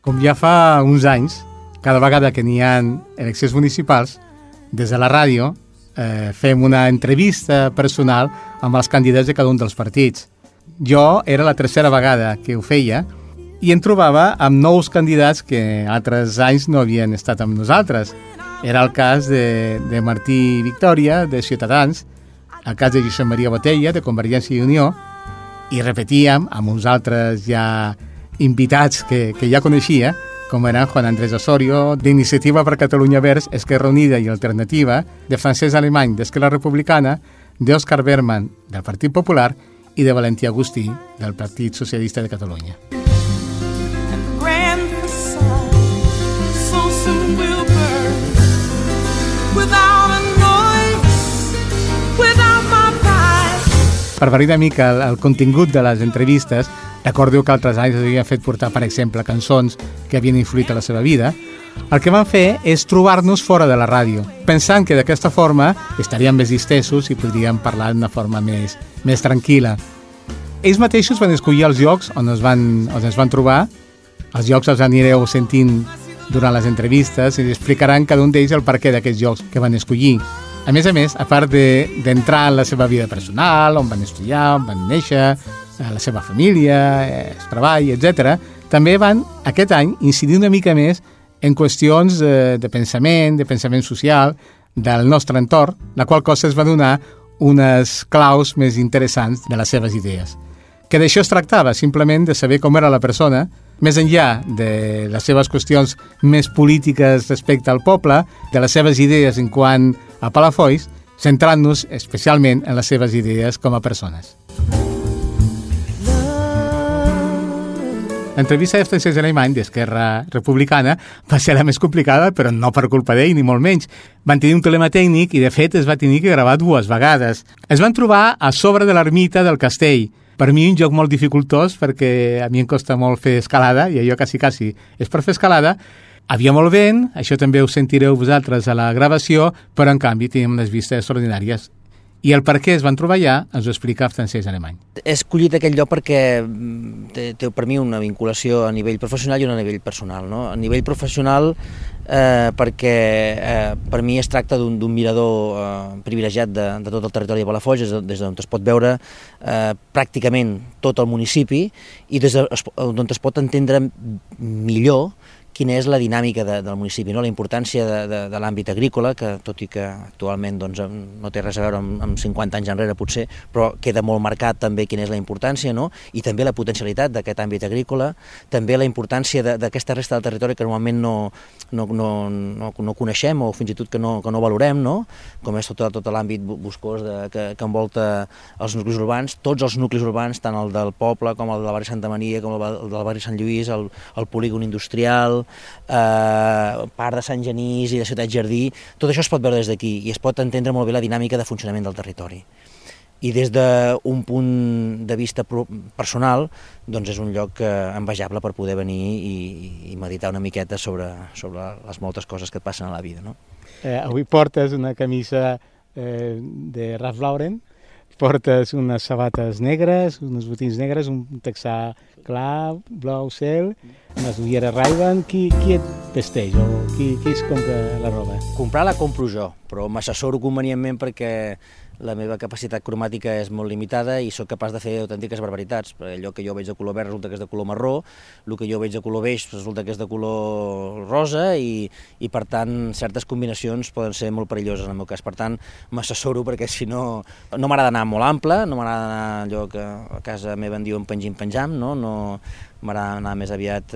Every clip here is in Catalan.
Com ja fa uns anys, cada vegada que n'hi ha eleccions municipals, des de la ràdio fem una entrevista personal amb els candidats de cada un dels partits. Jo era la tercera vegada que ho feia i em trobava amb nous candidats que altres anys no havien estat amb nosaltres. Era el cas de Martí Victòria, de Ciutadans, el cas de Josep Maria Botella, de Convergència i Unió, i repetíem amb uns altres ja invitats que ja coneixia, com eren Juan Andrés Osorio, d'Iniciativa per Catalunya Verds, Esquerra Unida i Alternativa, de Francesc Alemany, d'Esquerra Republicana, d'Òscar Berman, del Partit Popular, i de Valentí Agustí, del Partit Socialista de Catalunya. Per variar una mica el contingut de les entrevistes, recordeu que altres anys havien fet portar, per exemple, cançons que havien influït a la seva vida. El que van fer és trobar-nos fora de la ràdio, pensant que d'aquesta forma estaríem més distesos i podríem parlar d'una forma més tranquil·la. Ells mateixos van escollir els llocs on es van trobar. Els llocs els anireu sentint durant les entrevistes i explicaran cada un d'ells el perquè d'aquests llocs que van escollir. A més, a part d'entrar en la seva vida personal, on van estudiar, on van néixer, la seva família, el treball, etc., també van, aquest any, incidir una mica més en qüestions de pensament social del nostre entorn, la qual cosa es va donar unes claus més interessants de les seves idees. Que d'això es tractava, simplement de saber com era la persona, més enllà de les seves qüestions més polítiques respecte al poble, de les seves idees en quant a Palafolls, centrant-nos especialment en les seves idees com a persones. L'entrevista de Francesc Alemany, d'Esquerra Republicana, va ser la més complicada, però no per culpa d'ell, ni molt menys. Van tenir un problema tècnic i, de fet, es va tenir que gravar 2 vegades. Es van trobar a sobre de l'ermita del castell. Per mi un joc molt dificultós, perquè a mi em costa molt fer escalada, i allò quasi és per fer escalada. Havia molt vent, això també ho sentireu vosaltres a la gravació, però en canvi teníem unes vistes extraordinàries. I el per què es van trobar allà ens ho explica Francesc Alemany. He escollit aquell lloc perquè té per mi una vinculació a nivell professional i una a nivell personal. No? A nivell professional perquè per mi es tracta d'un mirador privilegiat de tot el territori de Palafolls, des d'on es pot veure pràcticament tot el municipi i des d'on es pot entendre millor quina és la dinàmica del municipi, no? La importància de l'àmbit agrícola, que tot i que actualment doncs, no té res a veure amb 50 anys enrere potser, però queda molt marcat també quina és la importància, no? I també la potencialitat d'aquest àmbit agrícola, també la importància d'aquesta resta del territori que normalment no coneixem o fins i tot que no valorem, no? Com és tot l'àmbit boscós que envolta els nuclis urbans, tots els nuclis urbans, tant el del poble com el del barri Santa Maria, com el del barri Sant Lluís, el polígon industrial, part de Sant Genís i de Ciutat Jardí, tot això es pot veure des d'aquí i es pot entendre molt bé la dinàmica de funcionament del territori. I des d'un punt de vista personal, doncs és un lloc envejable per poder venir i meditar una miqueta sobre les moltes coses que et passen a la vida. No? Avui portes una camisa de Ralph Lauren, portes unes sabates negres, uns botins negres, un texà clar, blau cel, unes ulleres Ray-Ban. Qui et vesteix o qui es compra la roba? Comprar la compro jo, però m'assessoro convenientment perquè la meva capacitat cromàtica és molt limitada i sóc capaç de fer autèntiques barbaritats. Allò que jo veig de color verd resulta que és de color marró, el que jo veig de color beix resulta que és de color rosa i per tant certes combinacions poden ser molt perilloses en el meu cas. Per tant m'assessoro perquè si no m'agrada anar molt ample, no m'agrada anar allò que a casa meva en diuen penjam, no m'agrada anar més aviat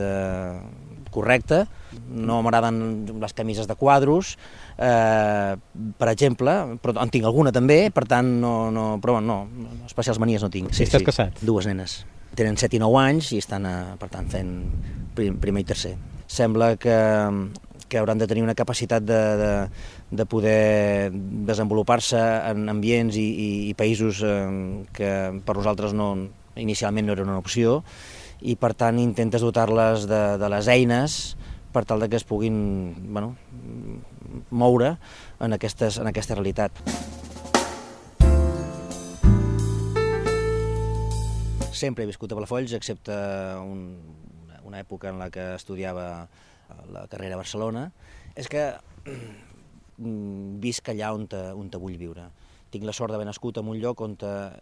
correcte, no m'agraden les camises de quadros, per exemple, però en tinc alguna també, per tant, però no, especials manies no tinc. Sí, estàs casat? 2 nenes. Tenen 7 i 9 anys i estan, per tant, fent primer i tercer. Sembla que hauran de tenir una capacitat de poder desenvolupar-se en ambients i països que per nosaltres inicialment no eren una opció, i per tant intentes dotar-les de les eines per tal que es puguin moure en aquesta realitat. Sempre he viscut a Palafolls, excepte una època en la que estudiava la carrera a Barcelona, és que visc allà on te vull viure. Tinc la sort d'haver nascut en un lloc on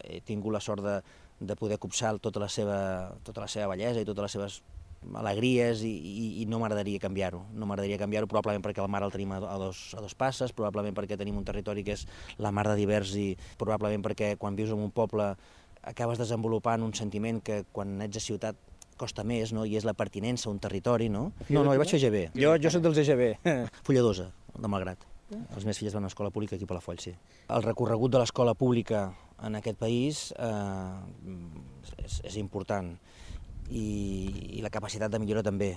he tingut la sort de poder copsar tota la seva bellesa i totes les seves alegries i no m'agradaria canviar-ho. No m'agradaria canviar-ho probablement perquè el mar el tenim a dos passes, probablement perquè tenim un territori que és la mar de divers i probablement perquè quan vius en un poble acabes desenvolupant un sentiment que quan ets a ciutat costa més, no? I és la pertinença a un territori, no? No, jo vaig fer EGB. Jo soc dels EGB. Fulladosa, de Malgrat. Les meves filles van a l'escola pública aquí a Palafolls, sí. El recorregut de l'escola pública en aquest país és important i la capacitat de millora també.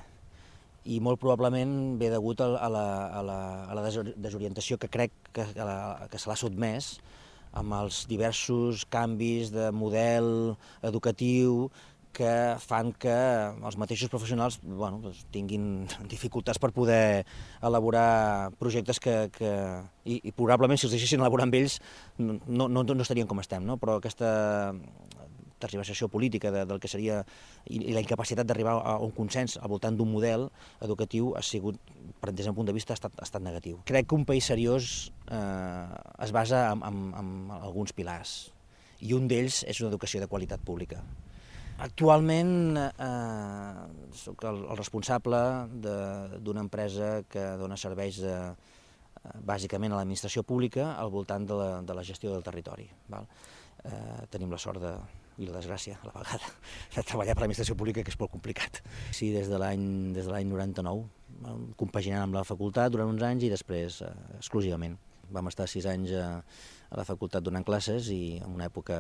I molt probablement ve degut a la desorientació que crec que se l'ha sotmès amb els diversos canvis de model educatiu que fan que els mateixos professionals tinguin dificultats per poder elaborar projectes i probablement si els deixessin elaborar amb ells no estarien com estem, no? Però aquesta tergiversació política del que seria i la incapacitat d'arribar a un consens al voltant d'un model educatiu ha sigut, des d'un punt de vista, ha estat negatiu. Crec que un país seriós es basa en alguns pilars i un d'ells és una educació de qualitat pública. Actualment soc el responsable d'una empresa que dona serveis bàsicament a l'administració pública al voltant de la gestió del territori. Tenim la sort i la desgràcia, a la vegada, de treballar per l'administració pública, que és molt complicat. Sí, des de l'any 99, compaginant amb la facultat durant uns anys i després exclusivament. Vam estar 6 anys a la facultat donant classes i en una època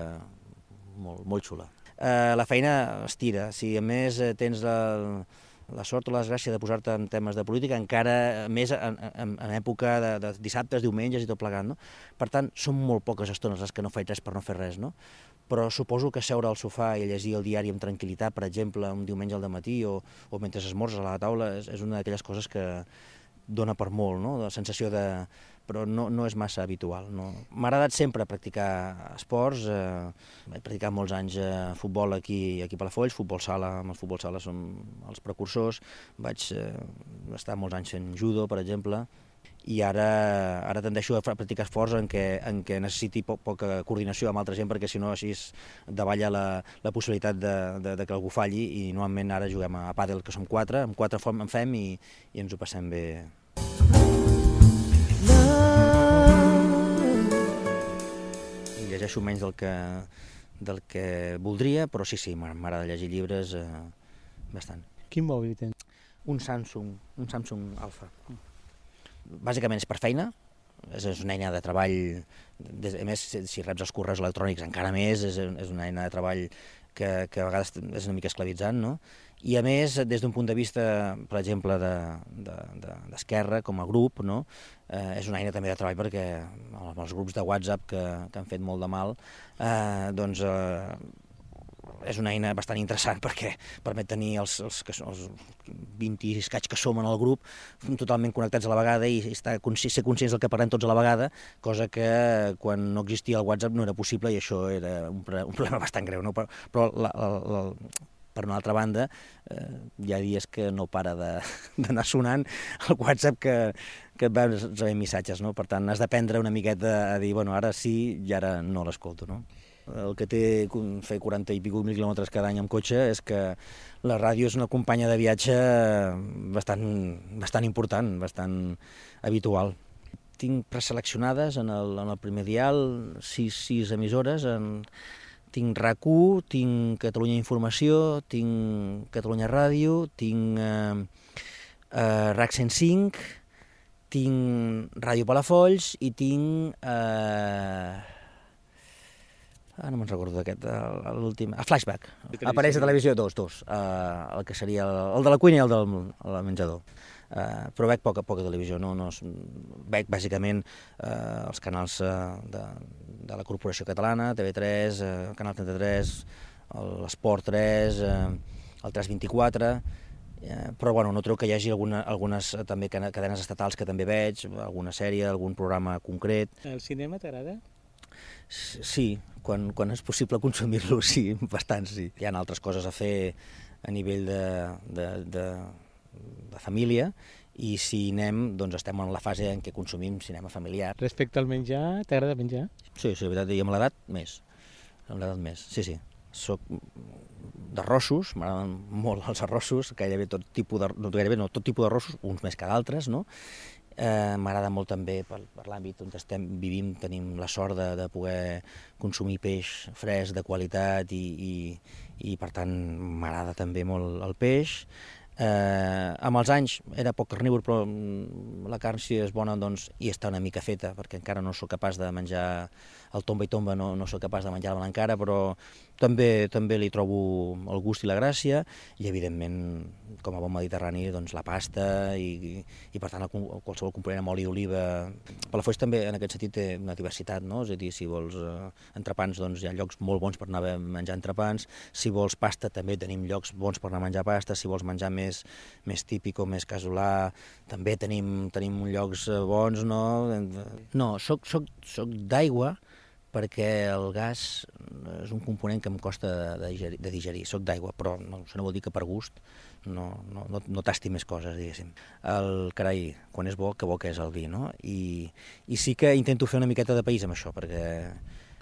molt xula. La feina estira. Si a més tens la sort o la desgràcia de posar-te en temes de política, encara més en època de dissabtes, diumenges i tot plegat, no? Per tant, són molt poques estones les que no faig res per no fer res, no? Però suposo que seure al sofà i llegir el diari amb tranquil·litat, per exemple, un diumenge al dematí o mentre esmorzes a la taula, és una d'aquelles coses que dona per molt, no? La sensació però no és massa habitual. No? M'ha agradat sempre practicar esports, he practicat molts anys futbol aquí a Palafolls, futbol sala, amb el futbol sala som els precursors, vaig estar molts anys fent judo, per exemple, i ara tendeixo a practicar esports en què necessiti poca coordinació amb altra gent, perquè si no així davalla la possibilitat de que algú falli, i normalment ara juguem a pàdel, que som 4, amb 4 en fem i ens ho passem bé. I llegeixo menys del que voldria, però sí, m'agrada llegir llibres bastant. Quin mòbil tens? Un Samsung Alpha. Bàsicament és per feina, és una eina de treball, a més, si reps els correus electrònics encara més, és una eina de treball que a vegades és una mica esclavitzant, no? I a més, des d'un punt de vista, per exemple, d'esquerra, com a grup, no? És una eina també de treball perquè els grups de WhatsApp que han fet molt de mal, doncs és una eina bastant interessant perquè permet tenir els 20 i escaig que som en el grup totalment connectats a la vegada i ser conscients del que parlem tots a la vegada, cosa que quan no existia el WhatsApp no era possible i això era un problema bastant greu, no? Però per una altra banda, hi ha dies que no para d'anar sonant el WhatsApp que et va rebent missatges, no? Per tant, has d'aprendre una miqueta a dir, bueno, ara sí i ara no l'escolto, no? El que té fer 40 i pico mil quilòmetres cada any amb cotxe és que la ràdio és una companya de viatge bastant important, bastant habitual. Tinc preseleccionades en el primer dial 6 emissores, tinc RAC1, tinc Catalunya Informació, tinc Catalunya Ràdio, tinc RAC 105, tinc Ràdio Palafolls i tinc... no me'n recordo d'aquest, l'últim... Flashback, apareix a televisió, dos, el que seria el de la cuina i el del menjador. Però veig poca televisió, veig bàsicament els canals de la Corporació Catalana, TV3, el Canal 33, l'Esport 3, el 324, però bueno, no trobo que hi hagi algunes també cadenes estatals que també veig, alguna sèrie, algun programa concret. El cinema t'agrada? Sí, quan és possible consumir-lo, sí, bastant sí. Hi ha altres coses a fer a nivell de família, i si anem, doncs estem en la fase en què consumim cinema familiar. Respecte al menjar, t'agrada menjar? Sí, la veritat, i amb l'edat, més. Amb l'edat més, sí. Soc d'arrossos, m'agraden molt els arrossos, gairebé tot tipus d'arrossos, uns més que d'altres, no? M'agrada molt també per l'àmbit on vivim, tenim la sort de poder consumir peix fresc, de qualitat, i per tant m'agrada també molt el peix. Amb els anys era poc carnívor, però la carn, si és bona, doncs hi està una mica feta, perquè encara no sóc capaç de menjar el tomba i tomba, no sóc capaç de menjar-la encara, però també li trobo el gust i la gràcia, i evidentment, com a bon mediterrani, doncs la pasta i per tant qualsevol component amb oli d'oliva. Palafolls també en aquest sentit té una diversitat, no? És a dir, si vols entrepans, doncs hi ha llocs molt bons per anar a menjar entrepans, si vols pasta també tenim llocs bons per anar a menjar pasta, si vols menjar més típic o més casolà, també tenim llocs bons, no? No, soc d'aigua, perquè el gas és un component que em costa de digerir. Soc d'aigua, però això no vol dir que per gust no tasti més coses, diguéssim. El carai, quan és bo, que bo que és el vi, no? I sí que intento fer una miqueta de país amb això, perquè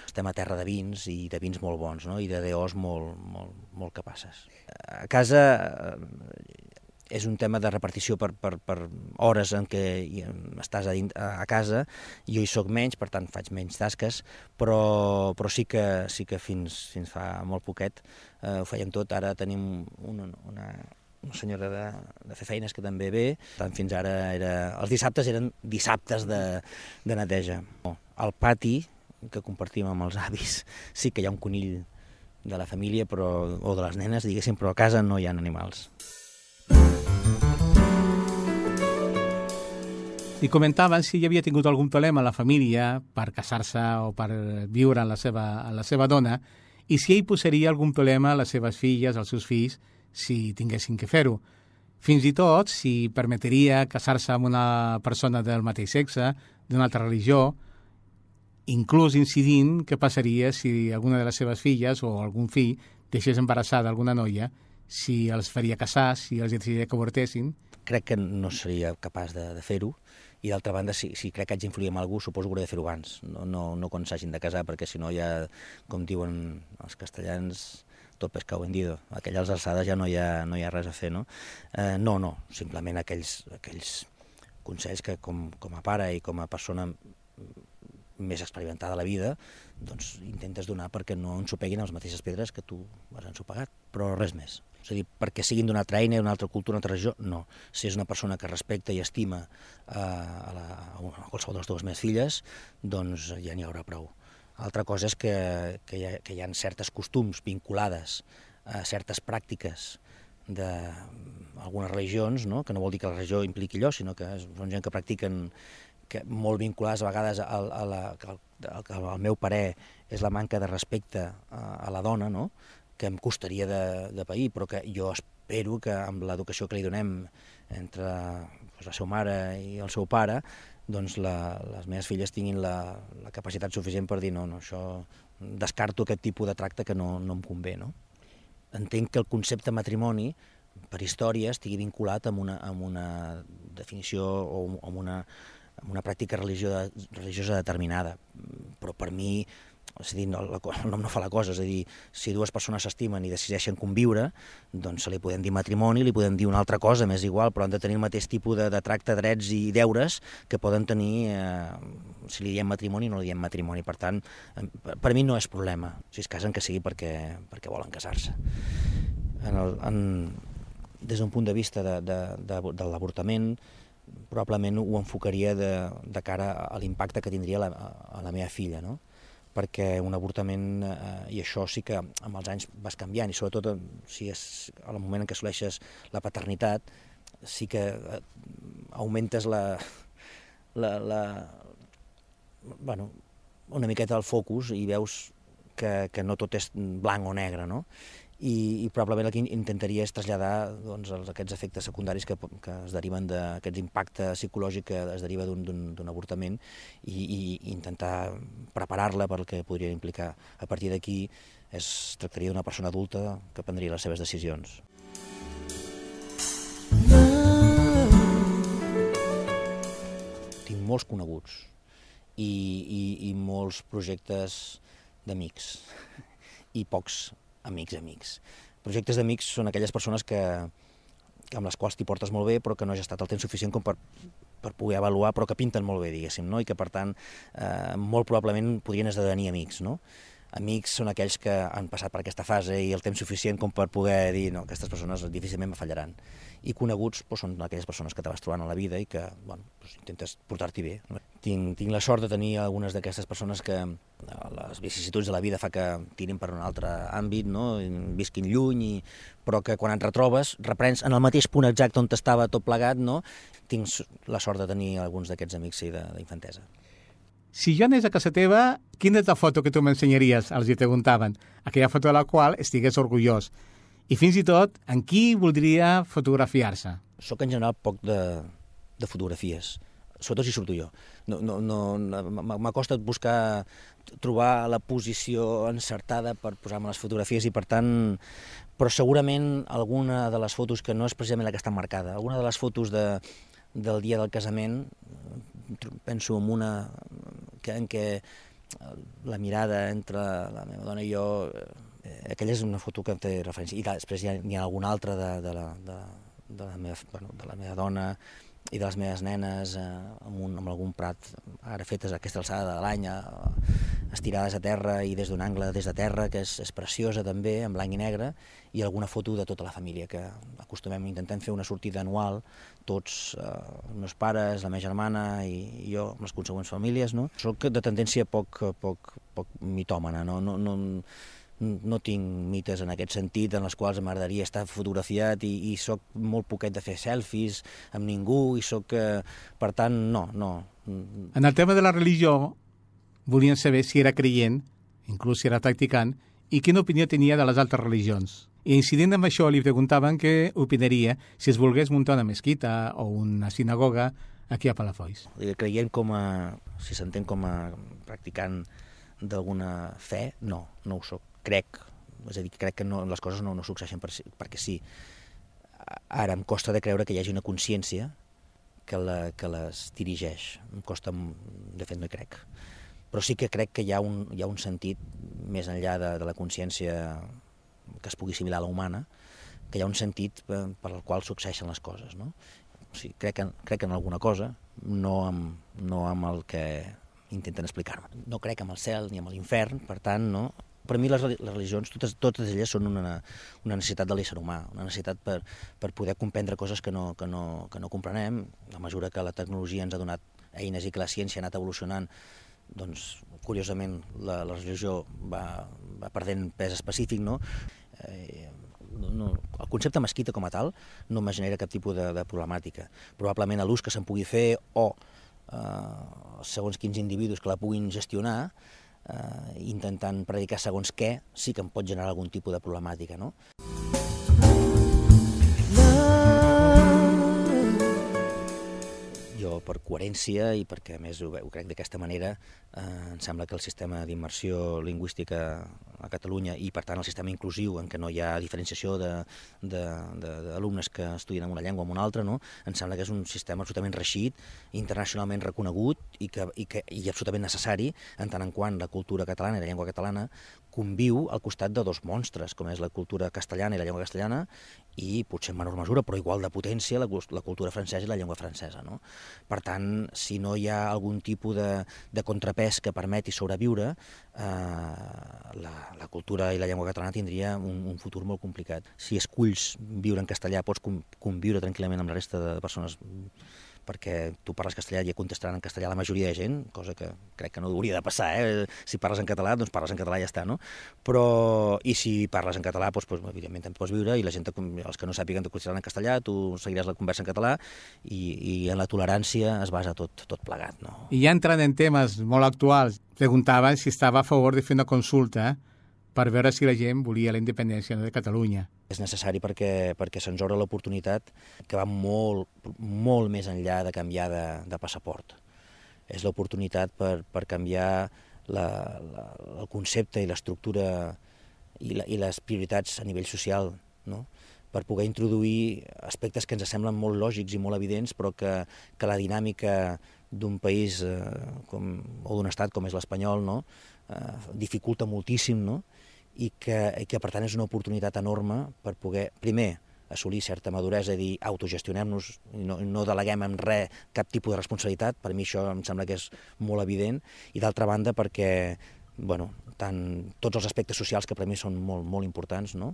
estem a terra de vins, i de vins molt bons, no? I de DOs molt capaces. A casa és un tema de repartició per hores en què estàs a casa. Jo hi soc menys, per tant faig menys tasques, però sí que fins fa molt poquet ho fèiem tot. Ara tenim una senyora de fer feines que també ve. Tant fins ara els dissabtes eren dissabtes de neteja. Al pati, que compartim amb els avis, sí que hi ha un conill de la família o de les nenes, diguéssim, però a casa no hi ha animals. I comentaven si hi havia tingut algun problema a la família per casar-se o per viure amb la seva dona, i si ell posaria algun problema a les seves filles, als seus fills, si tinguessin que fer-ho. Fins i tot si permetria casar-se amb una persona del mateix sexe, d'una altra religió, inclús incidint què passaria si alguna de les seves filles o algun fill deixés embarassada alguna noia, si els faria casar, si els decidiria que avortessin. Crec que no seria capaç de fer-ho, i d'altra banda, si crec que haig d'influir en algú, suposo que hauré de fer-ho abans, no quan s'hagin de casar, perquè si no ja, com diuen els castellans, tot pescado vendido. A aquelles alçades ja no hi ha res a fer, no? No, simplement aquells consells que com a pare i com a persona més experimentada a la vida, doncs intentes donar perquè no ensopeguin les mateixes pedres que tu has ensopegat, però res més. És a dir, perquè siguin d'una altra eina, d'una altra cultura, d'una altra regió, no. Si és una persona que respecta i estima a qualsevol de les dues meves filles, doncs ja n'hi haurà prou. Altra cosa és que hi ha certes costums vinculades a certes pràctiques d'algunes religions, no? Que no vol dir que la religió impliqui allò, sinó que són gent que practiquen molt vinculades a vegades al meu parer és la manca de respecte a la dona, no? Que em costaria de pair, però que jo espero que amb l'educació que li donem entre la seva mare i el seu pare, doncs les meves filles tinguin la capacitat suficient per dir no, això descarto aquest tipus de tracte que no em convé, no? Entenc que el concepte matrimoni per història estigui vinculat amb una definició o amb una pràctica religiosa determinada, però per mi, és a dir, el nom no fa la cosa, és a dir, si dues persones s'estimen i decideixen conviure, doncs se li podem dir matrimoni, li podem dir una altra cosa, m'és igual, però han de tenir el mateix tipus de tracte, drets i deures que poden tenir si li diem matrimoni o no li diem matrimoni. Per tant, per mi no és problema, si es casen que sigui perquè volen casar-se. Des d'un punt de vista de l'avortament, probablement ho enfocaria de cara a l'impacte que tindria a la meva filla, no? Perquè un avortament, i això sí que amb els anys vas canviant, i sobretot si és al moment en què assoleixes la paternitat, sí que augmentes una miqueta el focus i veus que no tot és blanc o negre, no? I probablement el que intentaria és traslladar aquests efectes secundaris que es deriven d'aquest impacte psicològic que es deriva d'un avortament i intentar preparar-la pel que podria implicar. A partir d'aquí es tractaria d'una persona adulta que prendria les seves decisions. molts coneguts i molts projectes d'amics i pocs amics. Projectes d'amics són aquelles persones amb les quals t'hi portes molt bé, però que no has estat el temps suficient com per poder avaluar, però que pinten molt bé, diguéssim, no? I que, per tant, molt probablement podrien esdevenir amics, no? Amics són aquells que han passat per aquesta fase i el temps suficient com per poder dir no, aquestes persones difícilment me fallaran. I coneguts són aquelles persones que te vas trobant a la vida i que intentes portar-t'hi bé. Tinc la sort de tenir algunes d'aquestes persones que les vicissituds de la vida fa que tirin per un altre àmbit, no? Visquin lluny, però que quan et retrobes reprens en el mateix punt exacte on estava tot plegat. No? Tinc la sort de tenir alguns d'aquests amics d'infantesa. Si jo anés a casa teva, quina és la foto que tu m'ensenyaries? Els hi preguntaven. Aquella foto de la qual estigués orgullós. I fins i tot, en qui voldria fotografiar-se? Soc en general poc de fotografies, sobretot si surto jo. M'acosta trobar la posició encertada per posar-me les fotografies i, per tant, però segurament alguna de les fotos que no és precisament la que està marcada, alguna de les fotos del dia del casament, penso en una en què la mirada entre la meva dona i jo, aquella és una foto que té referència, i després n'hi ha alguna altra de la meva dona i de les meves nenes amb algun prat ara fetes a aquesta alçada de l'any, estirades a terra i des d'un angle des de terra, que és preciosa també, en blanc i negre, i alguna foto de tota la família, que intentem fer una sortida anual, tots, els meus pares, la meva germana i jo, amb les consegüents famílies. No? Soc de tendència poc mitòmana, no tinc mites en aquest sentit en les quals m'agradaria estar fotografiat i soc molt poquet de fer selfies amb ningú i soc, per tant, no. En el tema de la religió, volien saber si era creient, inclús si era practicant, i quina opinió tenia de les altres religions. I incidint amb això, li preguntaven què opinaria si es volgués muntar una mesquita o una sinagoga aquí a Palafolls. Creient si s'entén com a practicant d'alguna fe, no ho soc. Crec que les coses no succeeixen perquè sí. Ara em costa de creure que hi hagi una consciència que les dirigeix. Em costa, de fet no hi crec. Però sí que crec que hi ha un sentit, més enllà de la consciència que es pugui assimilar a la humana, que hi ha un sentit per al qual succeeixen les coses. No? O sigui, crec en alguna cosa, no amb el que intenten explicar-me. No crec en el cel ni en l'infern, per tant, no. Per mi les religions, totes elles són una necessitat de l'ésser humà, una necessitat per poder comprendre coses que no comprenem. A mesura que la tecnologia ens ha donat eines i que la ciència ha anat evolucionant, doncs, curiosament, la religió va perdent pes específic, no? El concepte mesquita com a tal no me genera cap tipus de problemàtica. Probablement l'ús que se'n pugui fer o segons quins individus que la puguin gestionar, intentant predicar segons què, sí que em pot generar algun tipus de problemàtica, no? Jo, per coherència i perquè a més ho crec d'aquesta manera, em sembla que el sistema d'immersió lingüística a Catalunya i per tant el sistema inclusiu en què no hi ha diferenciació d'alumnes que estudien en una llengua o en una altra, no? Em sembla que és un sistema absolutament reeixit, internacionalment reconegut i absolutament necessari en tant en quant la cultura catalana i la llengua catalana conviu al costat de dos monstres, com és la cultura castellana i la llengua castellana, i potser en menor mesura, però igual de potència, la cultura francesa i la llengua francesa. No? Per tant, si no hi ha algun tipus de contrapès que permeti sobreviure, la cultura i la llengua catalana tindria un futur molt complicat. Si esculls viure en castellà, pots conviure tranquil·lament amb la resta de persones perquè tu parles castellà i contestaran en castellà la majoria de gent, cosa que crec que no hauria de passar, Si parles en català, doncs parles en català i ja està, no? Però, i si parles en català, doncs evidentment te'n pots viure i la gent, els que no sàpiguen te contestaran en castellà, tu seguiràs la conversa en català i en la tolerància es basa tot plegat, no? I ja entrant en temes molt actuals, preguntava si estava a favor de fer una consulta per veure si la gent volia la independència de Catalunya. És necessari perquè se'ns obre l'oportunitat que va molt més enllà de canviar de passaport. És l'oportunitat per canviar el concepte i l'estructura i les prioritats a nivell social, no? per poder introduir aspectes que ens semblen molt lògics i molt evidents, però que la dinàmica d'un país o d'un estat com és l'espanyol, no? Dificulta moltíssim, no? I que per tant és una oportunitat enorme per poder, primer, assolir certa maduresa, dir, autogestionem-nos, no deleguem en res cap tipus de responsabilitat, per mi això em sembla que és molt evident, i d'altra banda perquè, tots els aspectes socials que per mi són molt, molt importants, no?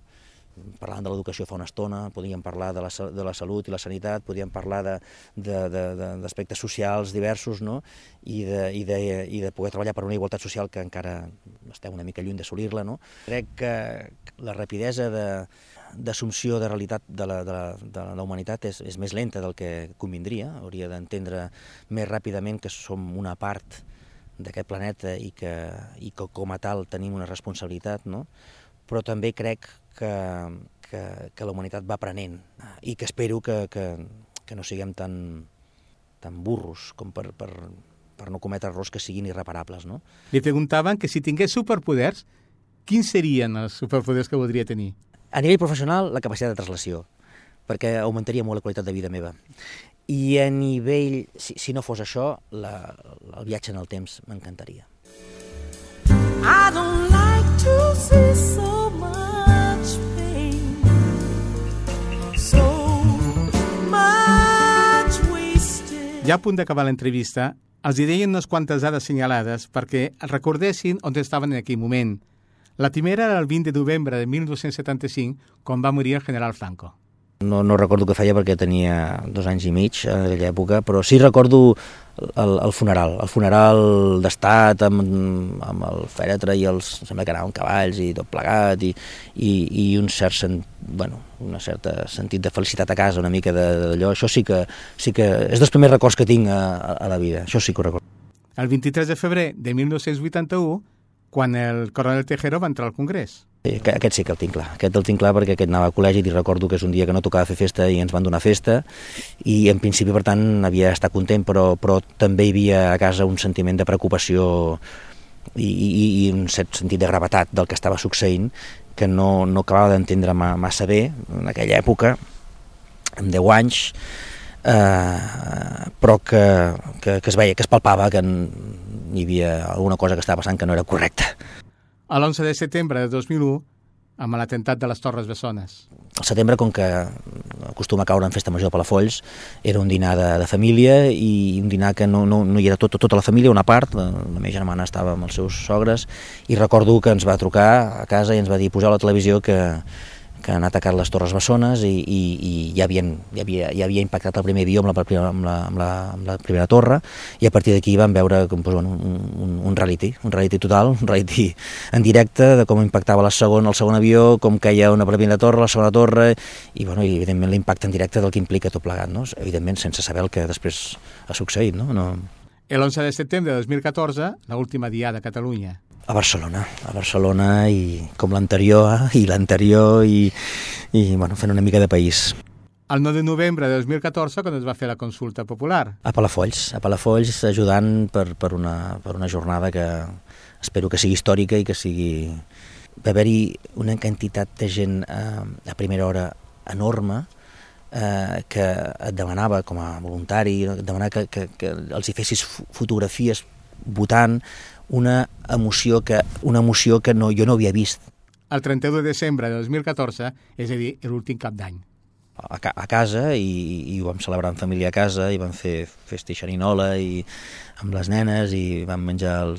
Parlant de l'educació fa una estona, podríem parlar de la salut i la sanitat, podríem parlar d'aspectes socials diversos, no? I de poder treballar per una igualtat social que encara estem una mica lluny d'assolir-la, no? Crec que la rapidesa d'assumpció de realitat de la humanitat és més lenta del que convindria, hauria d'entendre més ràpidament que som una part d'aquest planeta i que com a tal tenim una responsabilitat, no? Però també crec que la humanitat va aprenent i que espero que no siguem tan burros com per no cometre errors que siguin irreparables, no? Li preguntaven que si tingués superpoders, quins serien els superpoders que voldria tenir? A nivell professional, la capacitat de translació, perquè augmentaria molt la qualitat de vida meva. I a nivell, si no fos això, el viatge en el temps m'encantaria. I don't like to see so much pain, so much wasted. Ja a punt d'acabar l'entrevista, els hi deien unes quantes dades senyalades perquè recordessin on estaven en aquell moment. La primera era el 20 de novembre de 1975, quan va morir el general Franco. No recordo què feia perquè tenia 2 anys i mig en aquella època, però sí recordo el funeral d'estat amb el fèretre i sembla que anaven cavalls i tot plegat i un cert sentit de felicitat a casa, una mica d'allò. Això sí que és dels primers records que tinc a la vida, això sí que ho recordo. El 23 de febrer de 1981, quan el coronel Tejero va entrar al Congrés. Sí, aquest sí que el tinc clar, perquè aquest anava a col·legi i recordo que és un dia que no tocava fer festa i ens van donar festa i en principi per tant havia d'estar content però també hi havia a casa un sentiment de preocupació i un cert sentit de gravetat del que estava succeint que no acabava d'entendre massa bé en aquella època, amb 10 anys, però que es veia, que es palpava que hi havia alguna cosa que estava passant que no era correcta. A l'11 de setembre de 2001, amb l'atemptat de les Torres Bessones. Al setembre, com que acostuma a caure en festa major de Palafolls, era un dinar de família i un dinar que no hi era tota la família, una part, la meva germana estava amb els seus sogres, i recordo que ens va trucar a casa i ens va dir poseu a la televisió que han atacat les Torres Bessones i ja havia impactat el primer avió amb la primera torre i a partir d'aquí vam veure un reality total, un reality en directe de com impactava el segon avió, com caia una primera torre, la segona torre i evidentment l'impacte en directe del que implica tot plegat, no? Evidentment sense saber el que després ha succeït, no? El 11 de setembre de 2014, l'última diada a Catalunya. A Barcelona i com l'anterior i fent una mica de país. El 9 de novembre de 2014, quan es va fer la consulta popular. A Palafolls ajudant per una jornada que espero que sigui històrica i que sigui... Va haver-hi una quantitat de gent a primera hora enorme que et demanava com a voluntari, demanava que els hi fessis fotografies votant, una emoció que jo no havia vist. El 31 de desembre de 2014, és a dir, l'últim cap d'any. A casa, i ho vam celebrar en família a casa, i vam fer festa i xerinola i amb les nenes, i vam menjar el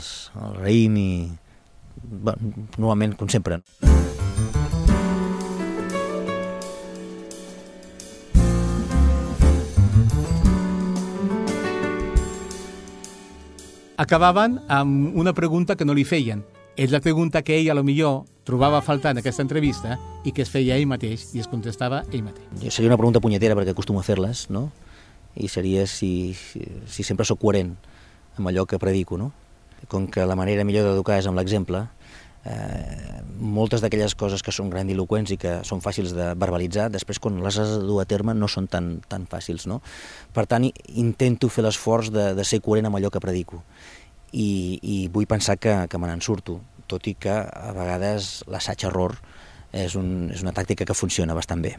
raïm, i normalment, com sempre. Acabaven amb una pregunta que no li feien. És la pregunta que ell, a lo millor, trobava a faltar en aquesta entrevista i que es feia ell mateix i es contestava ell mateix. Seria una pregunta punyetera perquè acostumo a fer-les, no? I seria si sempre sóc coherent amb allò que predico, no? Com que la manera millor d'educar és amb l'exemple, moltes d'aquelles coses que són grandiloqüents i que són fàcils de verbalitzar, després quan les has de dur a terme no són tan fàcils, no? Per tant, intento fer l'esforç de ser coherent amb allò que predico i vull pensar que me n'en surto, tot i que a vegades l'assaig-error és una tàctica que funciona bastant bé.